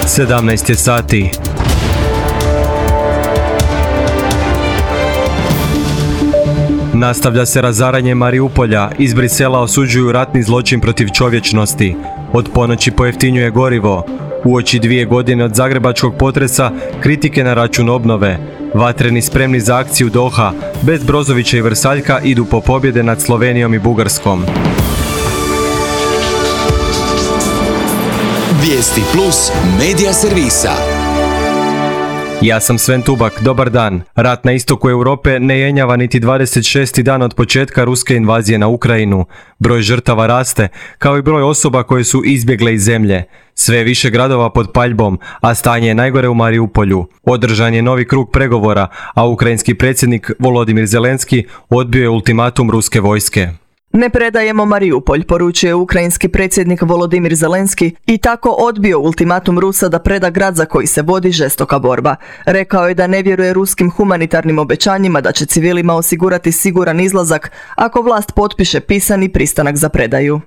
17 je sati. Nastavlja se razaranje Mariupolja, iz Brisela osuđuju ratni zločin protiv čovječnosti. Od ponoći pojeftinjuje gorivo. Uoči 2 godine od zagrebačkog potresa, kritike na račun obnove. Vatreni spremni za akciju Doha, bez Brozovića i Vrsaljka idu po pobjede nad Slovenijom i Bugarskom. Vijesti plus medija servisa. Ja sam Sven Tubak, dobar dan. Rat na istoku Europe ne jenjava niti 26. dan od početka ruske invazije na Ukrajinu. Broj žrtava raste, kao i broj osoba koje su izbjegle iz zemlje. Sve je više gradova pod paljbom, a stanje je najgore u Mariupolju. Održan je novi krug pregovora, a ukrajinski predsjednik Volodimir Zelenski odbio je ultimatum ruske vojske. Ne predajemo Mariupolj, poručuje ukrajinski predsjednik Volodimir Zelenski i tako odbio ultimatum Rusa da preda grad za koji se vodi žestoka borba. Rekao je da ne vjeruje ruskim humanitarnim obećanjima da će civilima osigurati siguran izlazak ako vlast potpiše pisani pristanak za predaju.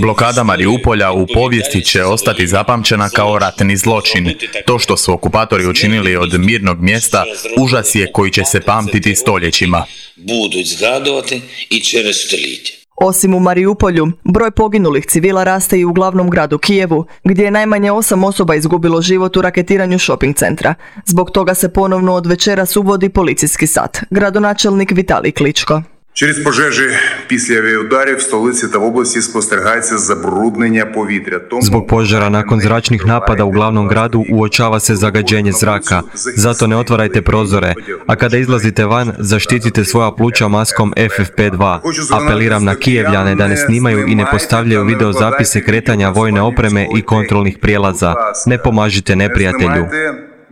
Blokada Mariupolja u povijesti će ostati zapamćena kao ratni zločin. To što su okupatori učinili od mirnog mjesta, užas je koji će se pamtiti stoljećima. Osim u Mariupolju, broj poginulih civila raste i u glavnom gradu Kijevu, gdje je najmanje 8 osoba izgubilo život u raketiranju shopping centra. Zbog toga se ponovno od večeras uvodi policijski sat. Gradonačelnik Vitalij Kličko. Через пожежі після авіаударів в столиці та в області спостерігається забруднення повітря. Zbog požara nakon zračnih napada u glavnom gradu uočava se zagađenje zraka. Zato ne otvarajte prozore, a kada izlazite van, zaštitite svoja pluća maskom FFP2. Apeliram na Kijevljane da ne snimaju i ne postavljaju videozapise kretanja vojne opreme i kontrolnih prijelaza. Ne pomažite neprijatelju.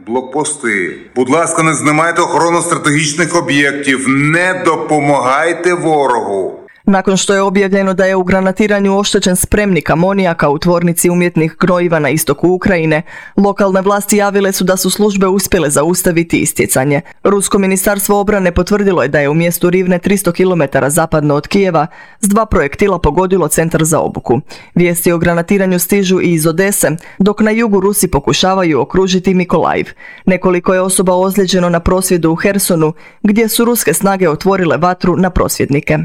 Блокпости. Будь ласка, не знімайте охорону стратегічних об'єктів. Не допомагайте ворогу. Nakon što je objavljeno da je u granatiranju oštećen spremnik amonijaka u tvornici umjetnih gnojiva na istoku Ukrajine, lokalne vlasti javile su da su službe uspjele zaustaviti istjecanje. Rusko ministarstvo obrane potvrdilo je da je u mjestu Rivne 300 km zapadno od Kijeva s 2 projektila pogodilo centar za obuku. Vijesti o granatiranju stižu i iz Odese, dok na jugu Rusi pokušavaju okružiti Mikolajiv. Nekoliko je osoba ozlijeđeno na prosvjedu u Hersonu, gdje su ruske snage otvorile vatru na prosvjednike.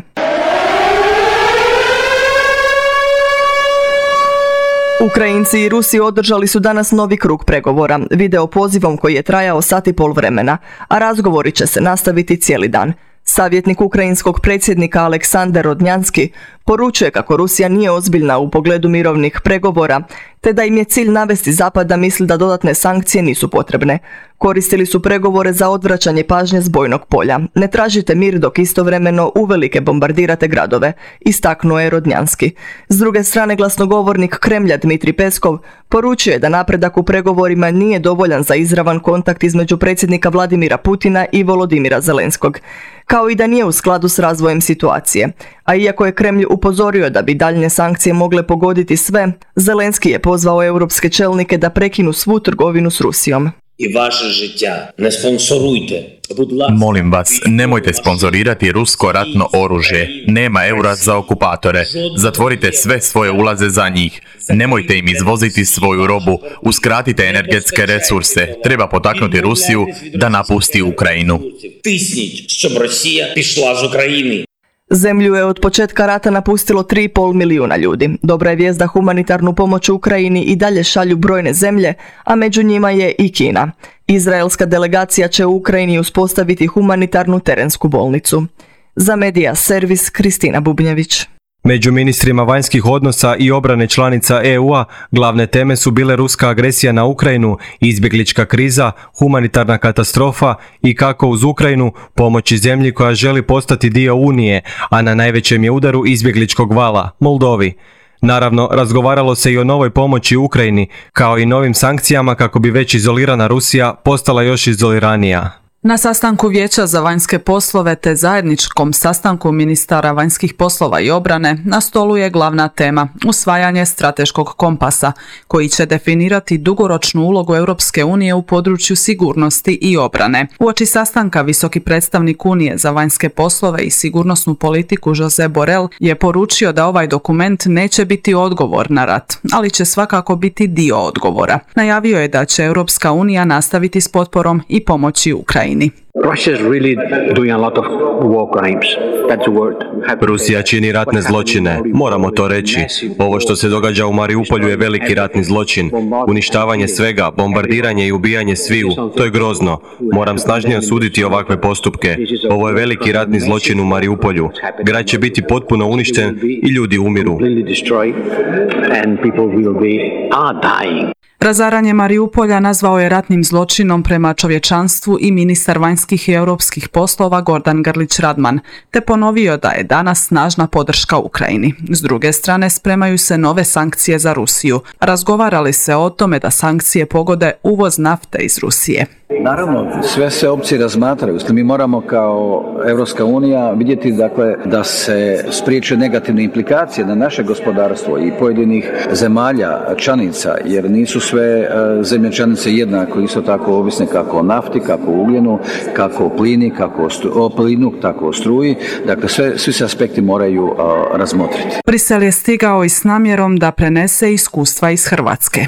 Ukrajinci i Rusi održali su danas novi krug pregovora, video pozivom koji je trajao 1,5 sata vremena, a razgovori će se nastaviti cijeli dan. Savjetnik ukrajinskog predsjednika Aleksandar Rodnjanski poručuje kako Rusija nije ozbiljna u pogledu mirovnih pregovora, te da im je cilj navesti Zapad da misli da dodatne sankcije nisu potrebne. Koristili su pregovore za odvraćanje pažnje s bojnog polja. Ne tražite mir dok istovremeno uvelike bombardirate gradove, istaknuo je Rodnjanski. S druge strane, glasnogovornik Kremlja Dmitrij Peskov poručuje da napredak u pregovorima nije dovoljan za izravan kontakt između predsjednika Vladimira Putina i Volodimira Zelenskog, kao i da nije u skladu s razvojem situacije. A iako je Kremlj upozorio da bi daljnje sankcije mogle pogoditi sve, Zelenski je pozvao europske čelnike da prekinu svu trgovinu s Rusijom. I vaše žiття ne sponsorujte. Molim vas, nemojte sponzorirati rusko ratno oružje. Nema eura za okupatore. Zatvorite sve svoje ulaze za njih. Nemojte im izvoziti svoju robu. Uskratite energetske resurse. Treba potaknuti Rusiju da napusti Ukrajinu. Тисніть, щоб Росія пішла з України. Zemlju je od početka rata napustilo 3,5 milijuna ljudi. Dobra je vijest da humanitarnu pomoć u Ukrajini i dalje šalju brojne zemlje, a među njima je i Kina. Izraelska delegacija će u Ukrajini uspostaviti humanitarnu terensku bolnicu. Za Medija servis Kristina Bubnjević. Među ministrima vanjskih odnosa i obrane članica EU-a glavne teme su bile ruska agresija na Ukrajinu, izbjeglička kriza, humanitarna katastrofa i kako uz Ukrajinu pomoći zemlji koja želi postati dio Unije, a na najvećem je udaru izbjegličkog vala, Moldovi. Naravno, razgovaralo se i o novoj pomoći Ukrajini, kao i novim sankcijama kako bi već izolirana Rusija postala još izoliranija. Na sastanku Vijeća za vanjske poslove te zajedničkom sastanku ministara vanjskih poslova i obrane na stolu je glavna tema usvajanje strateškog kompasa koji će definirati dugoročnu ulogu Europske unije u području sigurnosti i obrane. Uoči sastanka visoki predstavnik Unije za vanjske poslove i sigurnosnu politiku Josep Borrell je poručio da ovaj dokument neće biti odgovor na rat, ali će svakako biti dio odgovora. Najavio je da će Europska unija nastaviti s potporom i pomoći Ukrajini. Rusija čini ratne zločine, moramo to reći. Ovo što se događa u Mariupolju je veliki ratni zločin. Uništavanje svega, bombardiranje i ubijanje sviju, to je grozno. Moram snažnije osuditi ovakve postupke. Ovo je veliki ratni zločin u Mariupolju. Grad će biti potpuno uništen i ljudi umiru. Razaranje Mariupolja nazvao je ratnim zločinom prema čovječanstvu i ministar vanjskih i europskih poslova Gordan Grlić Radman, te ponovio da je danas snažna podrška Ukrajini. S druge strane, spremaju se nove sankcije za Rusiju. Razgovarali se o tome da sankcije pogode uvoz nafte iz Rusije. Naravno, sve se opcije razmatraju. Mi moramo kao Europska unija vidjeti da se spriječe negativne implikacije na naše gospodarstvo i pojedinih zemalja članica, jer nisu sve zemlje članice jednako, isto tako ovisne kako o nafti, kako o ugljenu, kako o plini, kako o plinu, tako o struji. Dakle, svi se aspekti moraju razmotriti. Brisel je stigao i s namjerom da prenese iskustva iz Hrvatske.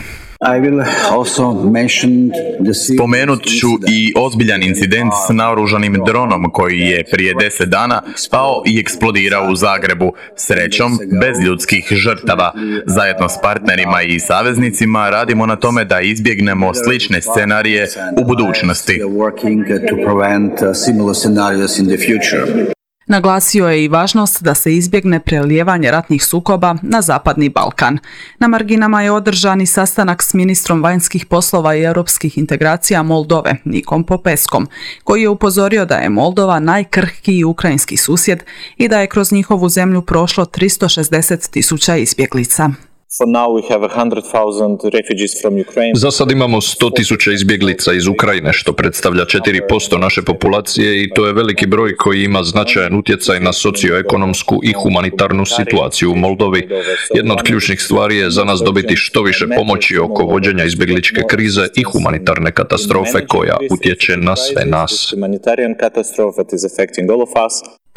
Spomenut ću i ozbiljan incident s naoružanim dronom koji je prije 10 dana pao i eksplodirao u Zagrebu, srećom bez ljudskih žrtava. Zajedno s partnerima i saveznicima radimo na tome da izbjegnemo slične scenarije u budućnosti. Naglasio je i važnost da se izbjegne prelijevanje ratnih sukoba na Zapadni Balkan. Na marginama je održan i sastanak s ministrom vanjskih poslova i europskih integracija Moldove, Nikom Popeskom, koji je upozorio da je Moldova najkrhkiji ukrajinski susjed i da je kroz njihovu zemlju prošlo 360.000 izbjeglica. Za sad imamo 100.000 izbjeglica iz Ukrajine, što predstavlja 4% naše populacije i to je veliki broj koji ima značajan utjecaj na socioekonomsku i humanitarnu situaciju u Moldovi. Jedna od ključnih stvari je za nas dobiti što više pomoći oko vođenja izbjegličke krize i humanitarne katastrofe koja utječe na sve nas.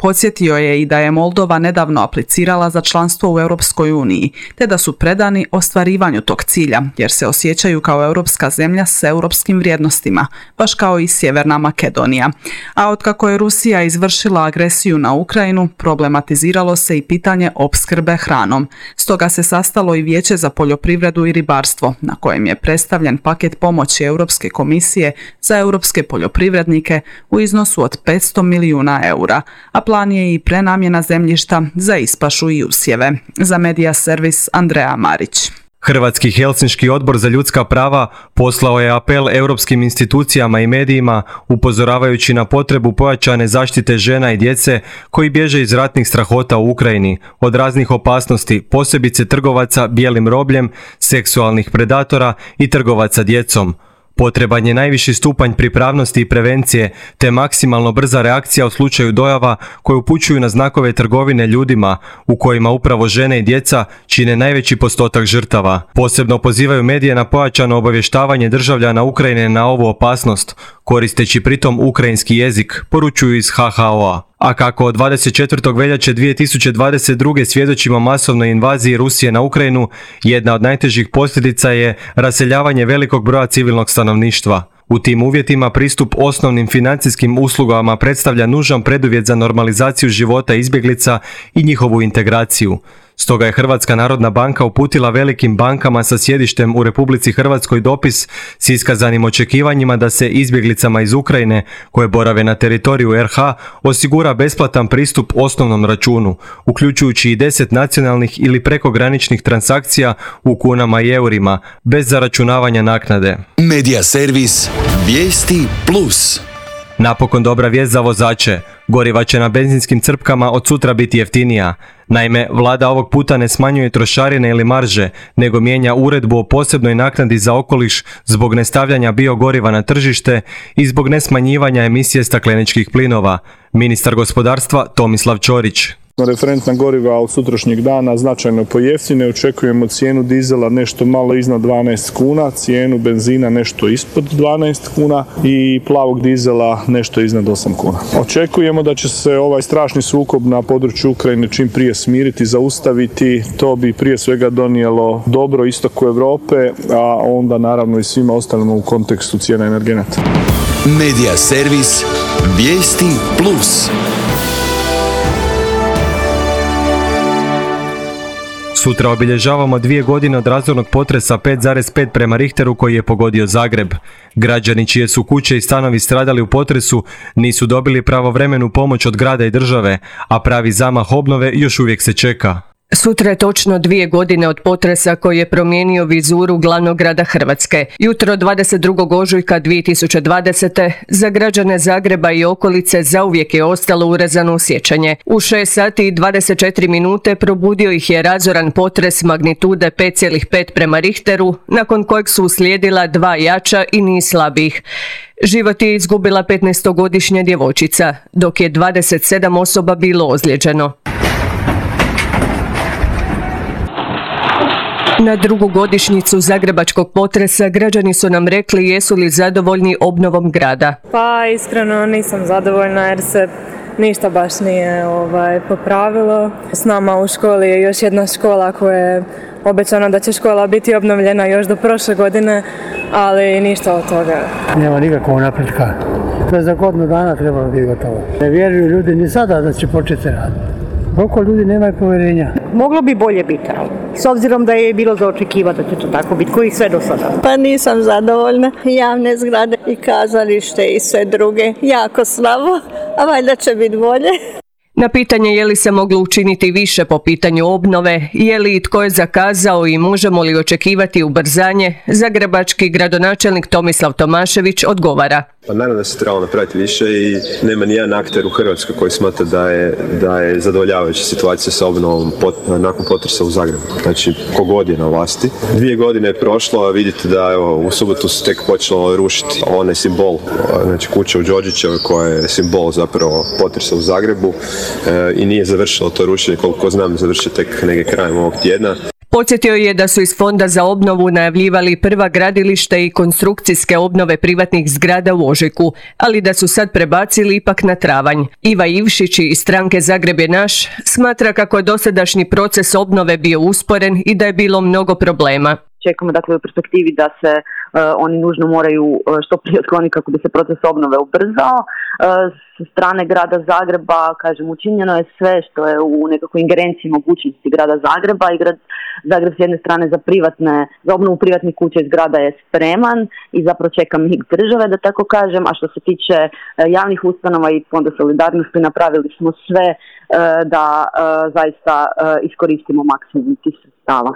Podsjetio je i da je Moldova nedavno aplicirala za članstvo u Europskoj uniji, te da su predani ostvarivanju tog cilja, jer se osjećaju kao europska zemlja s europskim vrijednostima, baš kao i Sjeverna Makedonija. A otkako je Rusija izvršila agresiju na Ukrajinu, problematiziralo se i pitanje opskrbe hranom. Stoga se sastalo i Vijeće za poljoprivredu i ribarstvo, na kojem je predstavljen paket pomoći Europske komisije za europske poljoprivrednike u iznosu od 500 milijuna eura, a plan je i prenamjena zemljišta za ispašu i usjeve. Za Medija servis Andreja Marić. Hrvatski Helsinški odbor za ljudska prava poslao je apel europskim institucijama i medijima upozoravajući na potrebu pojačane zaštite žena i djece koji bježe iz ratnih strahota u Ukrajini, od raznih opasnosti, posebice trgovaca bijelim robljem, seksualnih predatora i trgovaca djecom. Potreban je najviši stupanj pripravnosti i prevencije, te maksimalno brza reakcija u slučaju dojava koje upućuju na znakove trgovine ljudima, u kojima upravo žene i djeca čine najveći postotak žrtava. Posebno pozivaju medije na pojačano obavještavanje državljana Ukrajine na ovu opasnost, koristeći pritom ukrajinski jezik, poručuju iz HHO-a. A kako od 24. veljače 2022. svjedočimo masovnoj invaziji Rusije na Ukrajinu, jedna od najtežih posljedica je raseljavanje velikog broja civilnog stanovništva. U tim uvjetima pristup osnovnim financijskim uslugama predstavlja nužan preduvjet za normalizaciju života izbjeglica i njihovu integraciju. Stoga je Hrvatska narodna banka uputila velikim bankama sa sjedištem u Republici Hrvatskoj dopis s iskazanim očekivanjima da se izbjeglicama iz Ukrajine koje borave na teritoriju RH osigura besplatan pristup osnovnom računu, uključujući i 10 nacionalnih ili prekograničnih transakcija u kunama i eurima, bez zaračunavanja naknade. Medija servis Vijesti Plus. Napokon dobra vijest za vozače. Goriva će na benzinskim crpkama od sutra biti jeftinija. Naime, vlada ovog puta ne smanjuje trošarine ili marže, nego mijenja uredbu o posebnoj naknadi za okoliš zbog nestavljanja biogoriva na tržište i zbog nesmanjivanja emisije stakleničkih plinova. Ministar gospodarstva Tomislav Ćorić. Referentna goriva od sutrašnjeg dana značajno pojeftine, očekujemo cijenu dizela nešto malo iznad 12 kuna, cijenu benzina nešto ispod 12 kuna i plavog dizela nešto iznad 8 kuna. Očekujemo da će se ovaj strašni sukob na području Ukrajine čim prije smiriti, zaustaviti, to bi prije svega donijelo dobro istoku Europe, a onda naravno i svima ostalima u kontekstu cijena energenata. Medija servis Vijesti Plus. Sutra obilježavamo 2 godine od razornog potresa 5,5 prema Richteru koji je pogodio Zagreb. Građani čije su kuće i stanovi stradali u potresu nisu dobili pravovremenu pomoć od grada i države, a pravi zamah obnove još uvijek se čeka. Sutra je točno 2 godine od potresa koji je promijenio vizuru glavnog grada Hrvatske. Jutro 22. ožujka 2020. za građane Zagreba i okolice zauvijek je ostalo urezano u sjećanje. U 6 sati i 24 minute probudio ih je razoran potres magnitude 5,5 prema Richteru, nakon kojeg su uslijedila 2 jača i niz slabijih. Život je izgubila 15-godišnja djevojčica, dok je 27 osoba bilo ozlijeđeno. Na drugu godišnjicu zagrebačkog potresa građani su nam rekli jesu li zadovoljni obnovom grada. Pa iskreno nisam zadovoljna jer se ništa baš nije popravilo. S nama u školi je još jedna škola koja je obećano da će škola biti obnovljena još do prošle godine, ali ništa od toga. Nema nikakvog napretka. To je za godinu dana trebalo biti gotovo. Ne vjeruju ljudi ni sada da će početi raditi. Koliko ljudi nemaju povjerenja? Moglo bi bolje biti, s obzirom da je bilo za očekivati da će to tako biti, koji sve do sada. Pa nisam zadovoljna. Javne zgrade i kazalište i sve druge jako slabo, a valjda će biti bolje. Na pitanje je li se moglo učiniti više po pitanju obnove, je li i tko je zakazao i možemo li očekivati ubrzanje, zagrebački gradonačelnik Tomislav Tomašević odgovara. Pa naravno da se trebalo napraviti više i nema ni jedan akter u Hrvatskoj koji smatra da je zadovoljavajuća situacija sa obnovom nakon potresa u Zagrebu. Znači, kogod je na vlasti. 2 godine je prošlo, a vidite da evo, u subotu se tek počelo rušiti onaj simbol, znači kuća u Đorđićevoj koja je simbol zapravo potresa u Zagrebu i nije završilo to rušenje, koliko znam završiti tek negdje krajem ovog tjedna. Podsjetio je da su iz Fonda za obnovu najavljivali prva gradilište i konstrukcijske obnove privatnih zgrada u ožujku, ali da su sad prebacili ipak na travanj. Iva Ivšić iz stranke Zagreb je naš smatra kako je dosadašnji proces obnove bio usporen i da je bilo mnogo problema. Čekamo dakle u perspektivi da se oni nužno moraju što prije otkloniti kako bi se proces obnove ubrzao. S strane grada Zagreba, kažem, učinjeno je sve što je u nekakvoj ingerenciji mogućnosti grada Zagreba i grad Zagreb s jedne strane za obnovu privatnih kuća iz grada je spreman i zapravo čeka mig države, da tako kažem, a što se tiče javnih ustanova i Fonda solidarnosti napravili smo sve da zaista iskoristimo maksimum tih sredstava.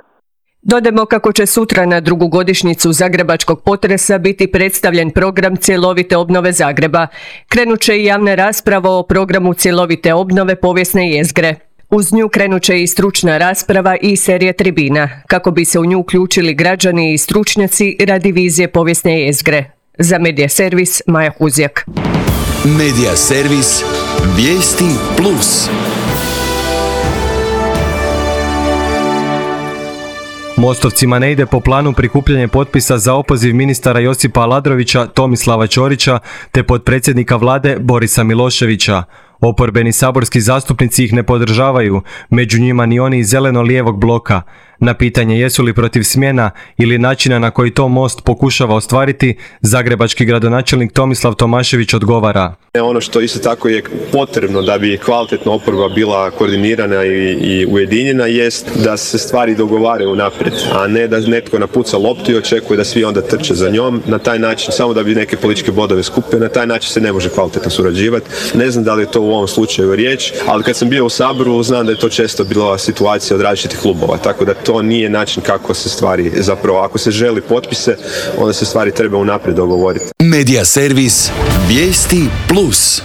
Dodajmo kako će sutra na drugu godišnjicu zagrebačkog potresa biti predstavljen program cjelovite obnove Zagreba. Krenut će i javna rasprava o programu cjelovite obnove povijesne jezgre. Uz nju krenut će i stručna rasprava i serija tribina, kako bi se u nju uključili građani i stručnjaci radi vizije povijesne jezgre. Za Medija servis Maja Huzjak. Medija servis Vijesti Plus. Mostovcima ne ide po planu prikupljanje potpisa za opoziv ministara Josipa Aladrovića, Tomislava Ćorića te potpredsjednika vlade Borisa Miloševića. Oporbeni saborski zastupnici ih ne podržavaju, među njima ni oni iz zeleno-lijevog bloka. Na pitanje jesu li protiv smjena ili načina na koji to Most pokušava ostvariti, zagrebački gradonačelnik Tomislav Tomašević odgovara. Ono što isto tako je potrebno da bi kvalitetna oporba bila koordinirana i ujedinjena jest da se stvari dogovaraju naprijed, a ne da netko napuca loptu i očekuje da svi onda trče za njom. Na taj način, samo da bi neke političke bodove skupio, na taj način se ne može kvalitetno surađivati. Ne znam da li je to u ovom slučaju riječ, ali kad sam bio u Saboru znam da je to često bila situacija od različitih klubova, tako da to nije način kako se stvari, zapravo ako se želi potpise, onda se stvari treba unaprijed dogovoriti. Medija servis Vijesti Plus.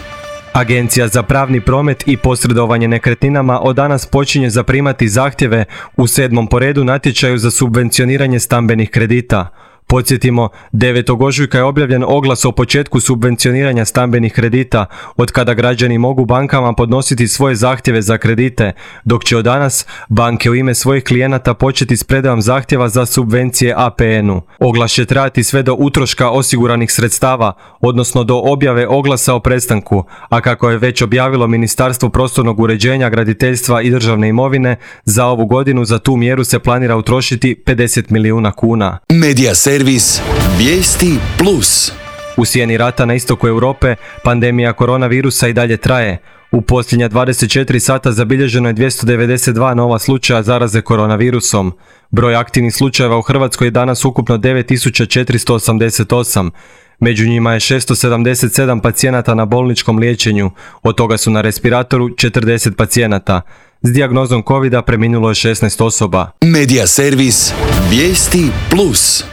Agencija za pravni promet i posredovanje nekretninama od danas počinje zaprimati zahtjeve u 7. po redu natječaju za subvencioniranje stambenih kredita. Podsjetimo, 9. ožujka je objavljen oglas o početku subvencioniranja stambenih kredita, od kada građani mogu bankama podnositi svoje zahtjeve za kredite, dok će od danas banke u ime svojih klijenata početi s predajom zahtjeva za subvencije APN-u. Oglas će trajati sve do utroška osiguranih sredstava, odnosno do objave oglasa o prestanku, a kako je već objavilo Ministarstvo prostornog uređenja, graditeljstva i državne imovine, za ovu godinu za tu mjeru se planira utrošiti 50 milijuna kuna. Medija servis Vijesti Plus. U sjeni rata na istoku Europe pandemija koronavirusa i dalje traje. U posljednja 24 sata zabilježeno je 292 nova slučaja zaraze koronavirusom. Broj aktivnih slučajeva u Hrvatskoj je danas ukupno 9488. Među njima je 677 pacijenata na bolničkom liječenju, od toga su na respiratoru 40 pacijenata. S dijagnozom covida preminulo je 16 osoba. Medija servis Vijesti Plus.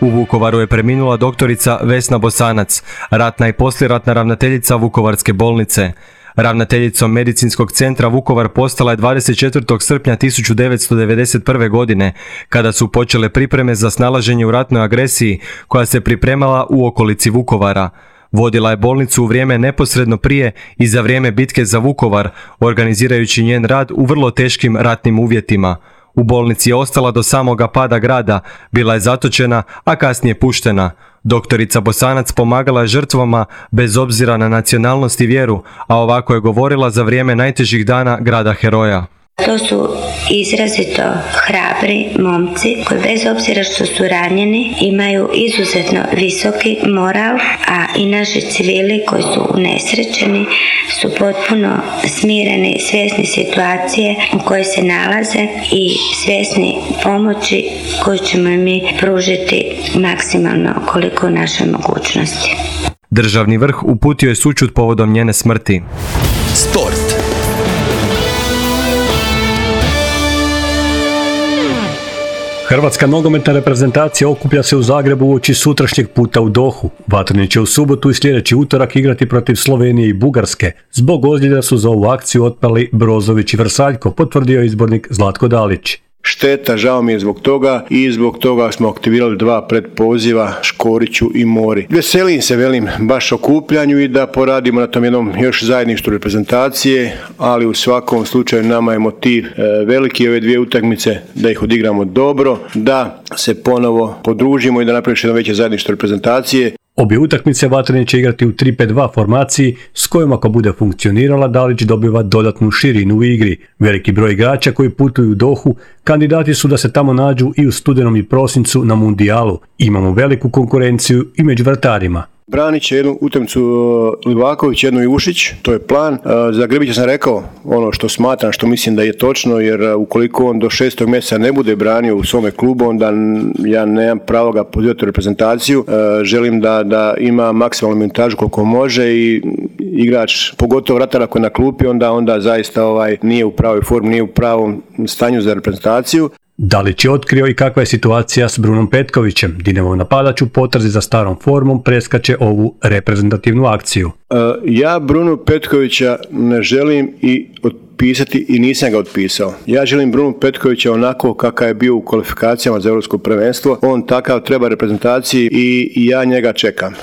U Vukovaru je preminula doktorica Vesna Bosanac, ratna i poslijeratna ravnateljica Vukovarske bolnice. Ravnateljicom Medicinskog centra Vukovar postala je 24. srpnja 1991. godine, kada su počele pripreme za snalaženje u ratnoj agresiji koja se pripremala u okolici Vukovara. Vodila je bolnicu u vrijeme neposredno prije i za vrijeme bitke za Vukovar, organizirajući njen rad u vrlo teškim ratnim uvjetima. U bolnici je ostala do samoga pada grada, bila je zatočena, a kasnije puštena. Doktorica Bosanac pomagala je žrtvama bez obzira na nacionalnost i vjeru, a ovako je govorila za vrijeme najtežih dana grada heroja. To su izrazito hrabri momci koji bez obzira što su ranjeni imaju izuzetno visoki moral, a i naši civili koji su unesrećeni su potpuno smireni, svjesni situacije u kojoj se nalaze i svjesni pomoći koju ćemo mi pružiti maksimalno koliko u našoj mogućnosti. Državni vrh uputio je sućut povodom njene smrti. Sport. Hrvatska nogometna reprezentacija okuplja se u Zagrebu uoči sutrašnjeg puta u Dohu. Vatreni će u subotu i sljedeći utorak igrati protiv Slovenije i Bugarske. Zbog ozljeda su za ovu akciju otpali Brozović i Vrsaljko, potvrdio izbornik Zlatko Dalić. Šteta, žao mi je zbog toga i zbog toga smo aktivirali 2 predpoziva Škoriću i Mori. Veselim se, baš okupljanju i da poradimo na tom jednom još zajedništvu reprezentacije, ali u svakom slučaju nama je motiv veliki ove 2 utakmice, da ih odigramo dobro, da se ponovo podružimo i da napravimo jedno veće zajedništvo reprezentacije. Obje utakmice Vatreni će igrati u 3-5-2 formaciji s kojom ako bude funkcionirala Dalić dobiva dodatnu širinu u igri. Veliki broj igrača koji putuju u Dohu kandidati su da se tamo nađu i u studenom i prosincu na mundijalu. Imamo veliku konkurenciju i među vratarima. Branit će jednu utakmicu Livaković, jednu Ivušić, to je plan. Za Grbića sam rekao ono što smatram, što mislim da je točno, jer ukoliko on do 6. mjeseca ne bude branio u svome klubu, onda ja nemam pravo ga pozivati u reprezentaciju. Želim da ima maksimalnu minutažu koliko može i igrač, pogotovo vratar ako je na klupi, onda zaista nije u pravoj formi, nije u pravom stanju za reprezentaciju. Dalić je otkrio i kakva je situacija s Brunom Petkovićem. Dinamov napadač u potrazi za starom formom preskače ovu reprezentativnu akciju. Ja Brunu Petkovića ne želim i otpisati i nisam ga otpisao. Ja želim Brunu Petkovića onako kakav je bio u kvalifikacijama za europsko prvenstvo. On takav treba reprezentaciji i ja njega čekam.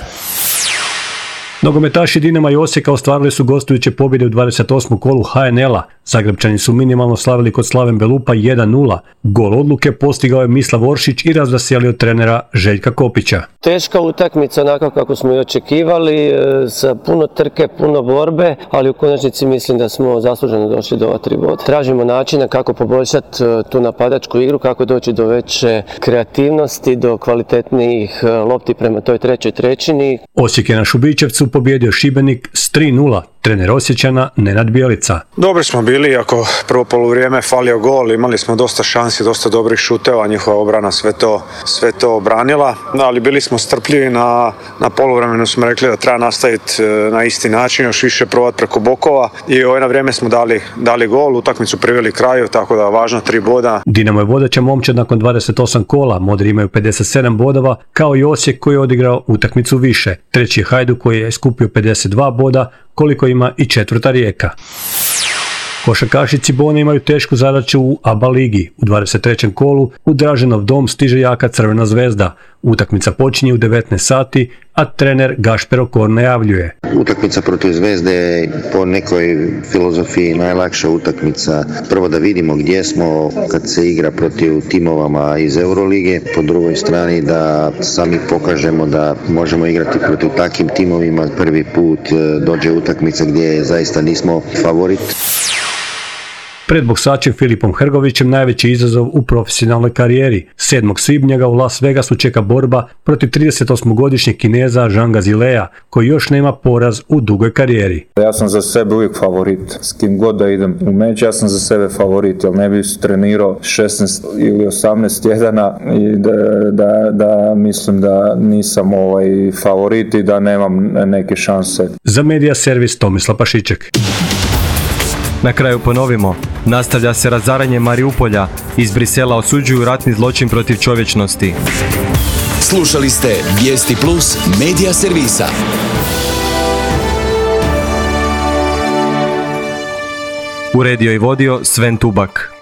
Nogometaši Dinama i Osijeka ostvarili su gostujuće pobjede u 28. kolu HNL-a. Zagrebčani su minimalno slavili kod Slaven Belupa 1-0. Gol odluke postigao je Mislav Oršić i razveselio trenera Željka Kopića. Teška utakmica, onako kako smo i očekivali, sa puno trke, puno borbe, ali u konačnici mislim da smo zasluženo došli do ova 3 boda. Tražimo načina kako poboljšati tu napadačku igru, kako doći do veće kreativnosti, do kvalitetnijih lopti prema toj trećoj trećini. Osijek je na Šubićevcu pobjedio Šibenik s 3-0. Trener Osječana Nenad Bjelica. Dobri smo bili, ako prvo poluvrijeme falio gol, imali smo dosta šansi, dosta dobrih šuteva, njihova obrana sve to obranila, ali bili smo strpljivi na poluvremenu, smo rekli da treba nastaviti na isti način, još više probati preko bokova i na vrijeme smo dali gol, utakmicu priveli kraju, tako da važno 3 boda. Dinamo je vodeća momčad nakon 28 kola, Modri imaju 57 bodova, kao i Osijek koji je odigrao utakmicu više. Treći je Hajduk koji je skupio 52 boda, koliko ima i četvrta Rijeka. Košarkaši Cibone imaju tešku zadaću u ABA ligi. U 23. kolu u Draženov dom stiže jaka Crvena zvezda. Utakmica počinje u 19 sati, a trener Gašper Okor najavljuje. Utakmica protiv Zvezde je po nekoj filozofiji najlakša utakmica. Prvo da vidimo gdje smo kad se igra protiv timovama iz Eurolige. Po drugoj strani da sami pokažemo da možemo igrati protiv takvim timovima. Prvi put dođe utakmica gdje zaista nismo favorit. Pred boksačem Filipom Hrgovićem najveći izazov u profesionalnoj karijeri. 7. svibnja ga u Las Vegasu čeka borba protiv 38-godišnjeg Kineza Zhanga Zilea, koji još nema poraz u dugoj karijeri. Ja sam za sebe uvijek favorit. S kim god da idem u meč, ja sam za sebe favorit, jer ne bih trenirao 16 ili 18 tjedana i da mislim da nisam favorit i da nemam neke šanse. Za Medija servis Tomislav Pašiček. Na kraju ponovimo, nastavlja se razaranje Mariupolja, iz Brisela osuđuju ratni zločin protiv čovječnosti. Slušali ste Vijesti Plus Medija servisa. Uredio i vodio Sven Tubak.